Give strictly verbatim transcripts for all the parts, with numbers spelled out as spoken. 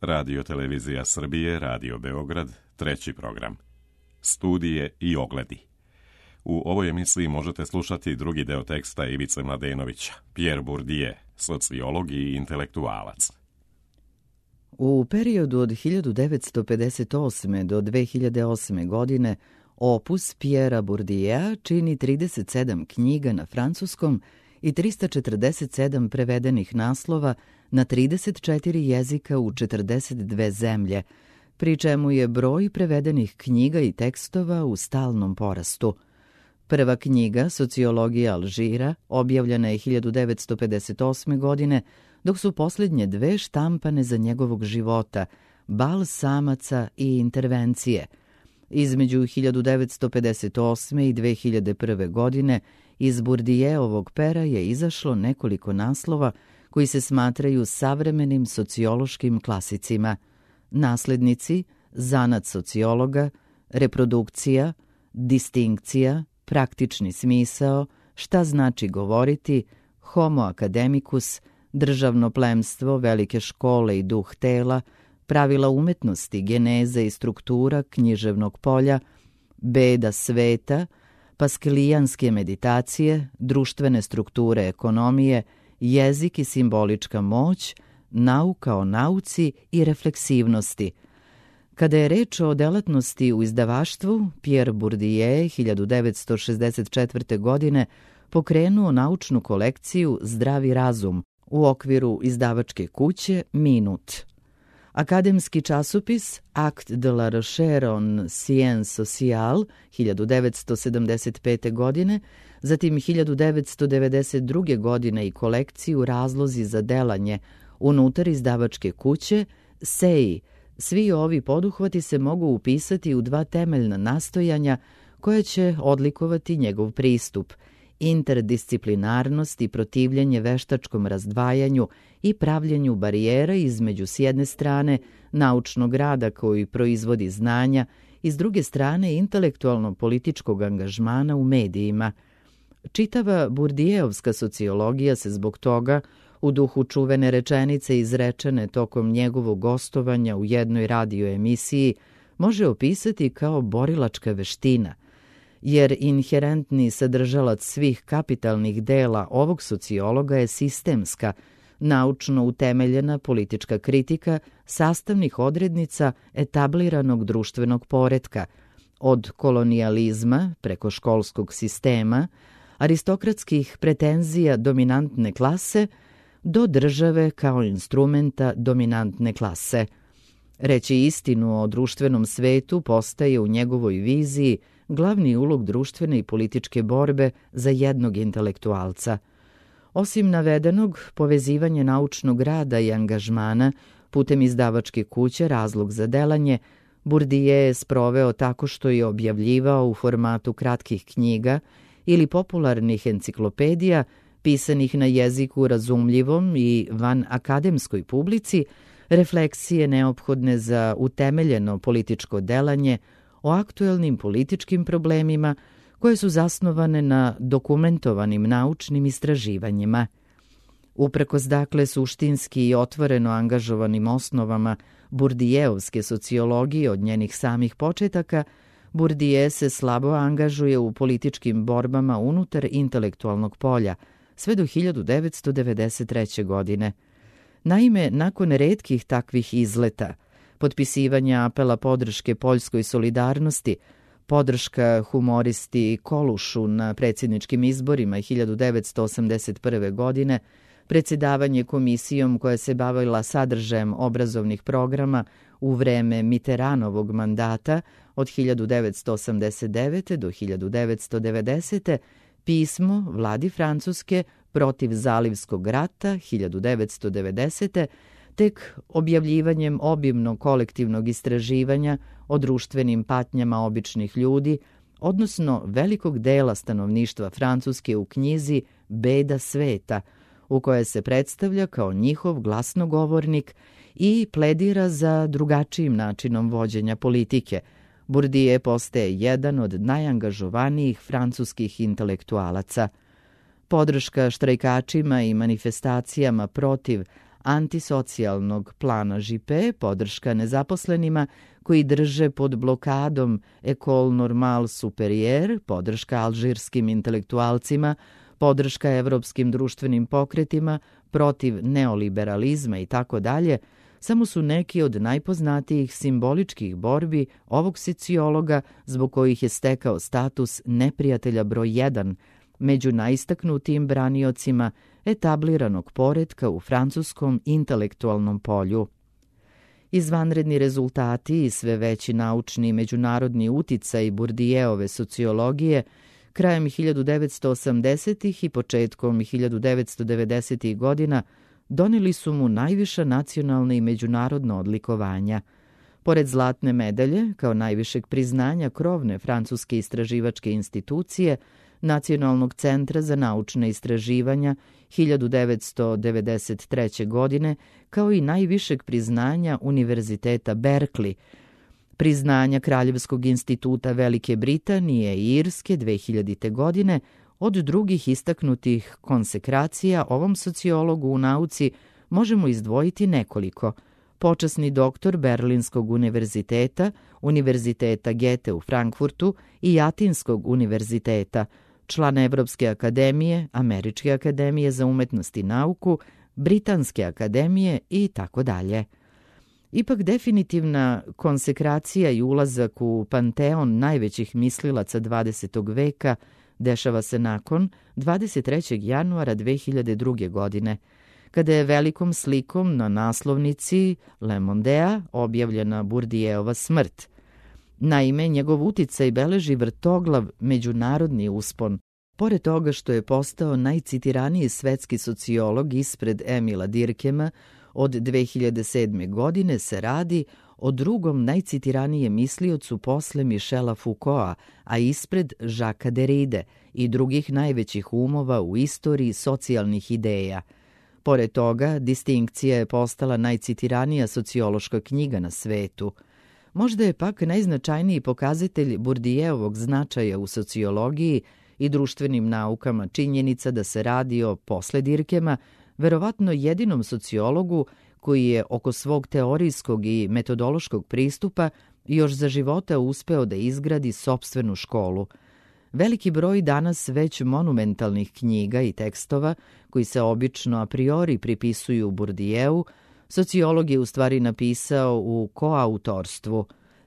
Radio Televizija Srbije, Radio Beograd, treći program. Studije i ogledi. U ovoj emisiji možete slušati drugi deo teksta Ivice Mladenovića, Pierre Bourdieu, sociolog i intelektualac. U periodu od hiljadu devetsto pedeset osme do dve hiljade osme godine opus Pierrea Bourdieu čini trideset sedam knjiga na francuskom i trista četrdeset sedam prevedenih naslova na trideset četiri jezika u četrdeset dve zemlje, pri čemu je broj prevedenih knjiga i tekstova u stalnom porastu. Prva knjiga, Sociologija Alžira, objavljena je hiljadu devetsto pedeset osme godine, dok su posljednje dve štampane za njegovog života, Bal samaca i Intervencije. Između hiljadu devetsto pedeset osme i dve hiljade prve. godine iz Bourdieovog pera je izašlo nekoliko naslova koji se smatraju savremenim sociološkim klasicima: Naslednici, Zanat sociologa, Reprodukcija, Distinkcija, Praktični smisao, Šta znači govoriti, Homo academicus, Državno plemstvo, Velike škole i duh tela, Pravila umetnosti, Geneza i struktura književnog polja, Beda sveta, Paskalijanske meditacije, Društvene strukture ekonomije, Jezik i simbolička moć, Nauka o nauci i refleksivnosti. Kada je reč o delatnosti u izdavaštvu, Pierre Bourdieu hiljadu devetsto šezdeset četvrte. godine pokrenuo naučnu kolekciju Zdravi razum u okviru izdavačke kuće Minut. Akademski časopis Acte de la recherche en sciences sociales hiljadu devetsto sedamdeset pete. godine, zatim hiljadu devetsto devedeset druge. godine i kolekciju Razlozi za delanje unutar izdavačke kuće S E I. Svi ovi poduhvati se mogu upisati u dva temeljna nastojanja koje će odlikovati njegov pristup: interdisciplinarnost i protivljenje veštačkom razdvajanju i pravljenju barijera između s jedne strane naučnog rada koji proizvodi znanja i s druge strane intelektualno-političkog angažmana u medijima. Čitava Bourdieuovska sociologija se zbog toga, u duhu čuvene rečenice izrečene tokom njegovog gostovanja u jednoj radio emisiji, može opisati kao borilačka veština, jer inherentni sadržalac svih kapitalnih dela ovog sociologa je sistemska, naučno utemeljena politička kritika sastavnih odrednica etabliranog društvenog poretka, od kolonijalizma preko školskog sistema, aristokratskih pretenzija dominantne klase do države kao instrumenta dominantne klase. Reći istinu o društvenom svetu postaje u njegovoj viziji glavni ulog društvene i političke borbe za jednog intelektualca. Osim navedenog, povezivanje naučnog rada i angažmana putem izdavačke kuće Razlog za delanje Bourdieu je sproveo tako što je objavljivao u formatu kratkih knjiga ili popularnih enciklopedija pisanih na jeziku razumljivom i van akademskoj publici refleksije neophodne za utemeljeno političko delanje o aktuelnim političkim problemima koje su zasnovane na dokumentovanim naučnim istraživanjima. Uprkos dakle suštinski i otvoreno angažovanim osnovama Bourdieuovske sociologije od njenih samih početaka, Bourdieu se slabo angažuje u političkim borbama unutar intelektualnog polja, sve do hiljadu devetsto devedeset treće. godine. Naime, nakon retkih takvih izleta, potpisivanja apela podrške poljskoj solidarnosti, podrška humoristi Kolušu na predsjedničkim izborima hiljadu devetsto osamdeset prve. godine, predsjedavanje komisijom koja se bavila sadržajem obrazovnih programa u vreme Mitterrandovog mandata od hiljadu devetsto osamdeset devete. do hiljadu devetsto devedesete. Pismo vladi Francuske protiv Zalivskog rata hiljadu devetsto devedesete. tek objavljivanjem obimnog kolektivnog istraživanja o društvenim patnjama običnih ljudi, odnosno velikog dela stanovništva Francuske u knjizi Beda sveta, u kojoj se predstavlja kao njihov glasnogovornik i pledira za drugačijim načinom vođenja politike. Bourdieu postaje jedan od najangažovanijih francuskih intelektualaca. Podrška štrajkačima i manifestacijama protiv antisocijalnog plana Juppé, podrška nezaposlenima koji drže pod blokadom École Normale Supérieure, podrška alžirskim intelektualcima, podrška evropskim društvenim pokretima protiv neoliberalizma i tako dalje, samo su neki od najpoznatijih simboličkih borbi ovog sociologa zbog kojih je stekao status neprijatelja broj jedan među najistaknutijim braniocima etabliranog poretka u francuskom intelektualnom polju. Izvanredni rezultati i sve veći naučni i međunarodni uticaj Bourdieuove sociologije krajem hiljadu devetsto osamdesetih i početkom hiljadu devetsto devedesetih godina doneli su mu najviša nacionalna i međunarodna odlikovanja. Pored zlatne medalje, kao najvišeg priznanja krovne francuske istraživačke institucije, Nacionalnog centra za naučne istraživanja hiljadu devetsto devedeset treće. godine, kao i najvišeg priznanja Univerziteta Berkeley, priznanja Kraljevskog instituta Velike Britanije i Irske dve hiljadite. godine, od drugih istaknutih konsekracija ovom sociologu u nauci možemo izdvojiti nekoliko. Počasni doktor Berlinskog univerziteta, Univerziteta Goethe u Frankfurtu i Atinskog univerziteta, član Evropske akademije, Američke akademije za umetnost i nauku, Britanske akademije i tako dalje. Ipak definitivna konsekracija i ulazak u panteon najvećih mislilaca dvadesetog veka dešava se nakon dvadeset trećeg januara dve hiljade druge. godine, kada je velikom slikom na naslovnici Le Mondea objavljena Bourdieuova smrt. Naime, njegov uticaj beleži vrtoglav međunarodni uspon. Pored toga što je postao najcitiraniji svetski sociolog ispred Emila Durkheima, od dve hiljade sedme. godine se radi o drugom najcitiranijem misliocu posle Michela Foucaulta, a ispred Jacquesa Derride i drugih najvećih umova u istoriji socijalnih ideja. Pored toga, Distinkcija je postala najcitiranija sociološka knjiga na svetu. Možda je pak najznačajniji pokazatelj Bourdieuovog značaja u sociologiji i društvenim naukama činjenica da se radi o, posle Durkheima, verovatno jedinom sociologu koji je oko svog teorijskog i metodološkog pristupa još za života uspeo da izgradi sopstvenu školu. Veliki broj danas već monumentalnih knjiga i tekstova, koji se obično a priori pripisuju Bourdieu, sociolog je u stvari napisao u koautorstvu.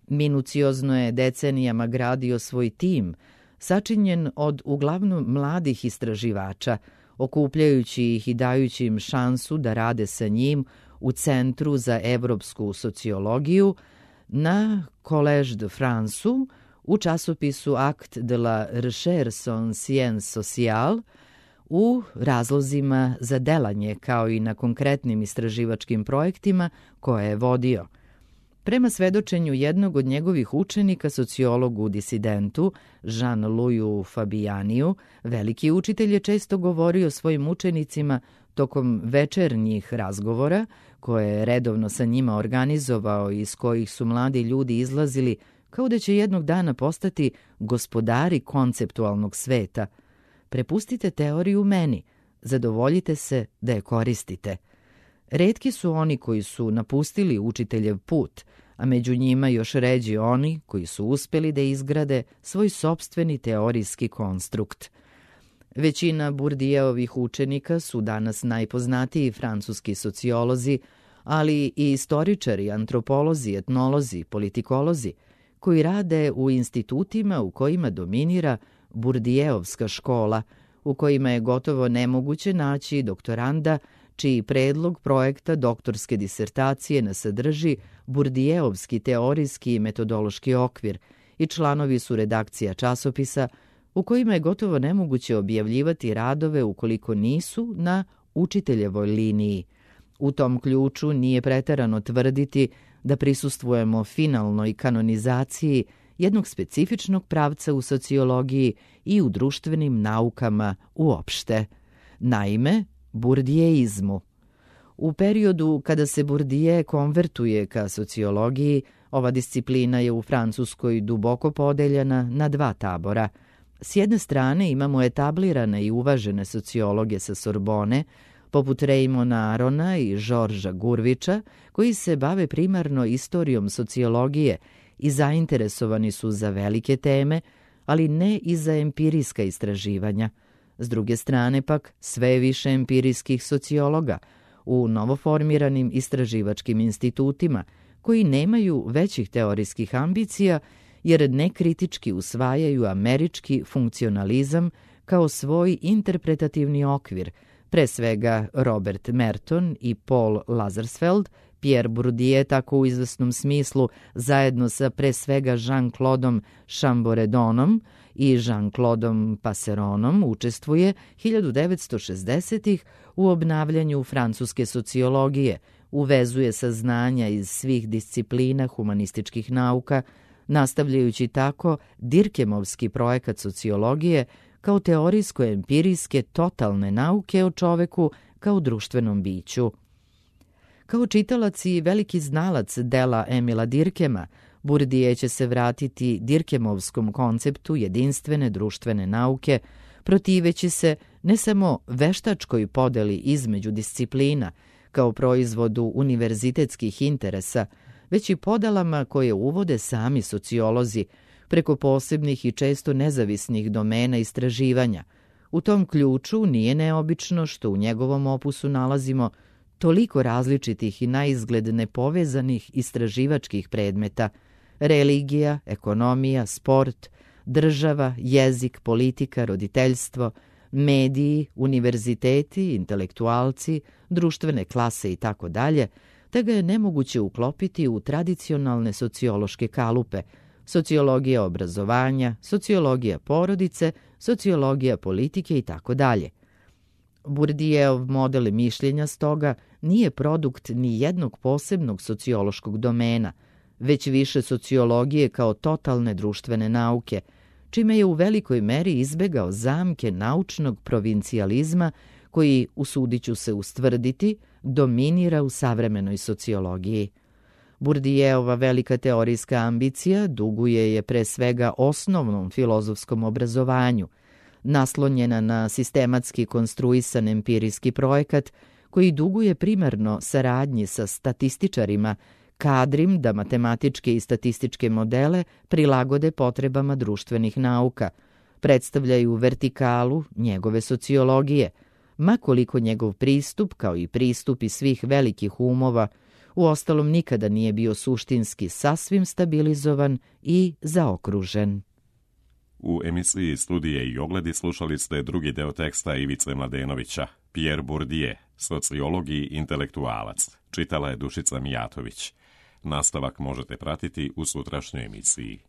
Minuciozno je decenijama gradio svoj tim, sačinjen od uglavnom mladih istraživača, okupljajući ih i dajući im šansu da rade sa njim u Centru za evropsku sociologiju, na Collège de France, u časopisu Acte de la Recherche en Sciences Sociales, u razlozima za delanje, kao i na konkretnim istraživačkim projektima koje je vodio. Prema svedočenju jednog od njegovih učenika, sociologu disidentu, Jean-Louisu Fabianiju, veliki učitelj je često govorio svojim učenicima tokom večernjih razgovora, koje je redovno sa njima organizovao i iz kojih su mladi ljudi izlazili kao da će jednog dana postati gospodari konceptualnog sveta. Prepustite teoriju meni, zadovoljite se da je koristite. Retki su oni koji su napustili učiteljev put, a među njima još ređi oni koji su uspeli da izgrade svoj sopstveni teorijski konstrukt. Većina Bourdieuovih učenika su danas najpoznatiji francuski sociolozi, ali i istoričari, antropolozi, etnolozi, politikolozi, koji rade u institutima u kojima dominira Bourdieuovska škola, u kojima je gotovo nemoguće naći doktoranda čiji predlog projekta doktorske disertacije ne sadrži Bourdieuovski teorijski i metodološki okvir i članovi su redakcija časopisa u kojima je gotovo nemoguće objavljivati radove ukoliko nisu na učiteljevoj liniji. U tom ključu nije preterano tvrditi da prisustvujemo finalnoj kanonizaciji jednog specifičnog pravca u sociologiji i u društvenim naukama uopšte. Naime, Bourdieizmu. U periodu kada se Bourdieu konvertuje ka sociologiji, ova disciplina je u Francuskoj duboko podeljena na dva tabora. S jedne strane imamo etablirane i uvažene sociologe sa Sorbone, poput Rejmona Arona i Žorža Gurvića, koji se bave primarno istorijom sociologije i zainteresovani su za velike teme, ali ne i za empirijska istraživanja. S druge strane pak, sve je više empirijskih sociologa u novoformiranim istraživačkim institutima, koji nemaju većih teorijskih ambicija, jer nekritički usvajaju američki funkcionalizam kao svoj interpretativni okvir, pre svega Robert Merton i Paul Lazarsfeld, Pierre Bourdieu tako u izvesnom smislu zajedno sa pre svega Jean-Claudeom Chamboredonom i Jean-Claudeom Passeronom učestvuje hiljadu devetsto šezdesetih u obnavljanju francuske sociologije, uvezuje saznanja iz svih disciplina humanističkih nauka, nastavljajući tako Dirkemovski projekat sociologije kao teorijsko-empirijske totalne nauke o čoveku kao društvenom biću. Kao čitalac i veliki znalac dela Emila Dirkema, Bourdieu će se vratiti Dirkemovskom konceptu jedinstvene društvene nauke, protiveći se ne samo veštačkoj podeli između disciplina kao proizvodu univerzitetskih interesa, već i podelama koje uvode sami sociolozi preko posebnih i često nezavisnih domena istraživanja. U tom ključu nije neobično što u njegovom opusu nalazimo toliko različitih i naizgled nepovezanih istraživačkih predmeta: religija, ekonomija, sport, država, jezik, politika, roditeljstvo, mediji, univerziteti, intelektualci, društvene klase itd., te ga je nemoguće uklopiti u tradicionalne sociološke kalupe: sociologija obrazovanja, sociologija porodice, sociologija politike itd. Bourdieuov model mišljenja stoga nije produkt ni jednog posebnog sociološkog domena, već više sociologije kao totalne društvene nauke, čime je u velikoj meri izbegao zamke naučnog provincijalizma koji, usudiću se ustvrditi, dominira u savremenoj sociologiji. Bourdieuova velika teorijska ambicija duguje je pre svega osnovnom filozofskom obrazovanju, naslonjena na sistematski konstruisan empirijski projekat koji duguje primarno saradnji sa statističarima, kadrim da matematičke i statističke modele prilagode potrebama društvenih nauka, predstavljaju vertikalu njegove sociologije, ma koliko njegov pristup, kao i pristupi svih velikih umova, uostalom nikada nije bio suštinski sasvim stabilizovan i zaokružen. U emisiji Studije i ogledi slušali ste drugi deo teksta Ivice Mladenovića, Pierre Bourdieu, sociolog i intelektualac. Čitala je Dušica Mijatović. Nastavak možete pratiti u sutrašnjoj emisiji.